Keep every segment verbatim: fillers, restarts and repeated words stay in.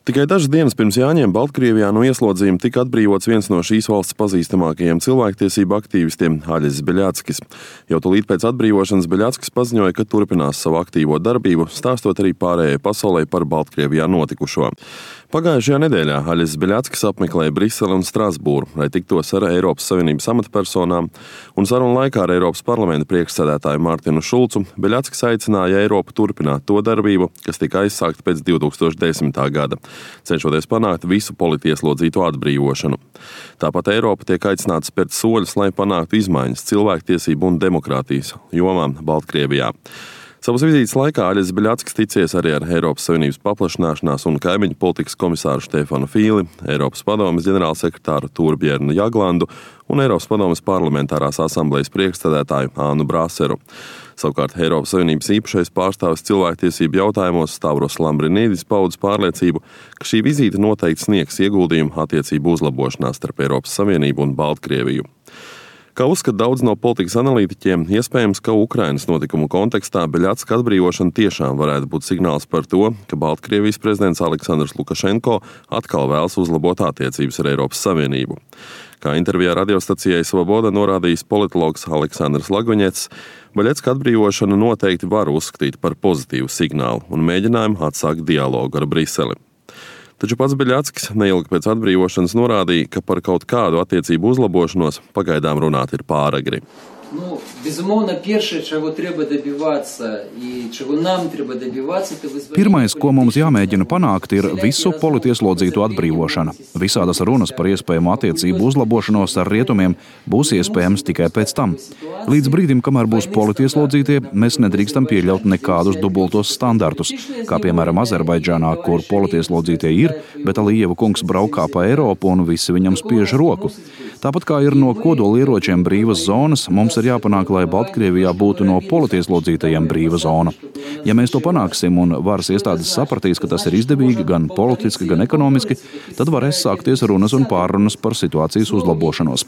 Tikai dažas dienas pirms Jāņiem Baltkrievijā no ieslodzījuma tika atbrīvots viens no šīs valsts pazīstamākajiem cilvēktiesību aktīvistiem – Aļis Beļackis. Jau tūlīt pēc atbrīvošanas Beļackis paziņoja, ka turpinās savu aktīvo darbību, stāstot arī pārējai pasaulē par Baltkrievijā notikušo. Pagājušajā nedēļā Aļis Beļackis apmeklēja Briseli un Strasbūru, lai tiktos ar Eiropas Savienības amatpersonām, un sarunu laikā ar Eiropas parlamenta priekšsēdētāju Mārtinu Šulcu Beļackis aicināja Eiropu turpināt to darbību, kas tika aizsākta pēc divi tūkstoši desmitā gada, cenšoties panākt visu politieslodzīto atbrīvošanu. Tāpat Eiropa tiek aicināta spērt soļus, lai panāktu izmaiņas cilvēktiesību un demokrātijas jomā Baltkrievijā. Savas vizītes laikā Aļis Beļackis ticies arī ar Eiropas Savienības paplašināšanās un kaimiņu politikas komisāru Štefanu Fīli, Eiropas padomes ģenerālsekretāru Torbjērnu Jaglandu un Eiropas padomes parlamentārās asamblejas priekšsēdētāju Ānu Brāseru. Savukārt Eiropas Savienības īpašais pārstāvis cilvēktiesību jautājumos Stavros Lambrinīdis paudis pārliecību, ka šī vizīte noteikti sniegs ieguldījumu attiecību uzlabošanā starp Eiropas Savienību un Baltkrieviju. Kā uzskata daudz no politikas analītiķiem, iespējams, ka Ukrainas notikumu kontekstā Beļacka atbrīvošana tiešām varētu būt signāls par to, ka Baltkrievijas prezidents Aleksandrs Lukašenko atkal vēlas uzlabot attiecības ar Eiropas Savienību. Kā intervijā radiostacijai Svoboda norādījis politologs Aleksandrs Lagvaņets, Beļacka atbrīvošana noteikti var uzskatīt par pozitīvu signālu un mēģinājumu atsākt dialogu ar Briseli. Taču pats Beļackis neilgi pēc atbrīvošanas norādīja, ka par kaut kādu attiecību uzlabošanos pagaidām runāt ir pāragri. Ну, безумовно, перше, чего треба добиваться и чего нам треба добиваться, это вызволение. Pirmais, ko mums jāmēģina panākt, ir visu politieslodzītu atbrīvošana. Visādas runas par iespējamu attiecību uzlabošanos ar rietumiem būs iespējams tikai pēc tam. Līdz brīdim, kamēr būs politieslodzītie, mēs nedrīkstam pieļaut nekādus dubultos standartus, kā piemēram Azerbaidžānā, kur politieslodzītie ir, bet Alijeva kungs braukā pa Eiropu un visi viņam spiež roku. Tāpat kā ir no kodolieročiem brīvas zonas, mums ir jāpanāk, lai Baltkrievijā būtu no politieslodzītajiem brīva zona. Ja mēs to panāksim un varas iestādes sapratīs, ka tas ir izdevīgi gan politiski, gan ekonomiski, tad varēs sākties runas un pārrunas par situācijas uzlabošanos.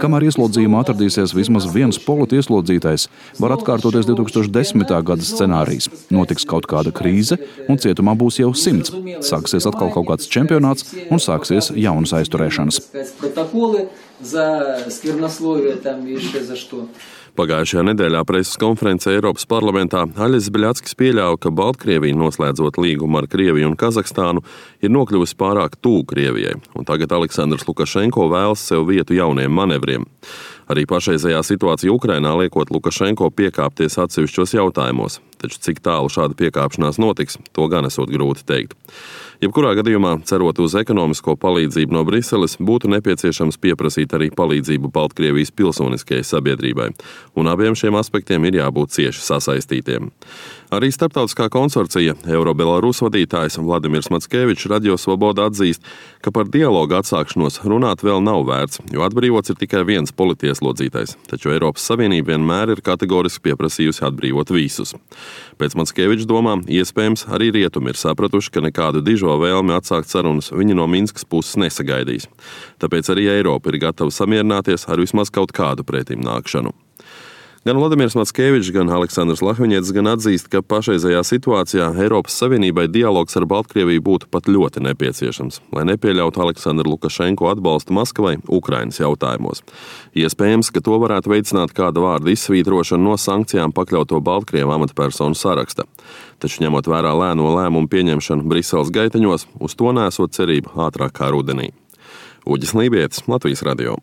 Kamēr ieslodzījumā atradīsies vismaz viens politieslodzītais, var atkārtoties divi tūkstoši desmitā gada scenārijs. Notiks kaut kāda krīze un cietumā būs jau simts. Sāksies atkal kaut kāds čempionāts un sāksies jaunas aizturēšanas. За сквернословие там и еще за что. Pagājušajā nedēļā preses konferencē Eiropas parlamentā Aļis Beļackis pieļāva, ka Baltkrievija, noslēdzot līgumu ar Krieviju un Kazahstānu, ir nokļuvusi pārāk tuvu Krievijai, un tagad Aleksandrs Lukašenko vēlas sev vietu jauniem manevriem. Arī pašreizējā situācija Ukrainā liekot Lukašenko piekāpties atsevišķos jautājumos, taču cik tālu šāda piekāpšanās notiks, to gan esot grūti teikt. Jebkurā gadījumā, cerot uz ekonomisko palīdzību no Briseles, būtu nepieciešams pieprasīt arī palīdzību Baltkrievijas pilsoniskajai sabiedrībai, un abiem šiem aspektiem ir jābūt cieši sasaistītiem. Arī starptautiskā konsorcija Euro-Belarus vadītājs Vladimirs Mackevičs Radio Svoboda atzīst, ka par dialogu atsākšanos runāt vēl nav vērts, jo atbrīvots ir tikai viens politieslodzītais, taču Eiropas Savienība vienmēr ir kategoriski pieprasījusi atbrīvot visus. Pēc Mackeviča domām, iespējams, arī rietumi ir sapratuši, ka nekādu dižo vēlmi atsākt sarunas viņi no Minskas puses nesagaidīs. Tāpēc arī Eiropa ir gatava samierināties ar vismaz kaut kādu pretim nākšanu. Gan Vladimirs Mackevičs, gan Aleksandrs Lagvaņets gan atzīst, ka pašreizējā situācijā Eiropas Savienībai dialogs ar Baltkrieviju būtu pat ļoti nepieciešams, lai nepieļautu Aleksandru Lukašenko atbalstu Maskavai Ukrainas jautājumos. Iespējams, ka to varētu veicināt kāda vārda izsvītrošana no sankcijām pakļauto Baltkrievu amatpersonu saraksta. Taču ņemot vērā lēno lēmumu pieņemšanu Briseles gaiteņos, uz to nesot cerību ātrāk kā rudenī. Uģis Lībietis, Latvijas radio.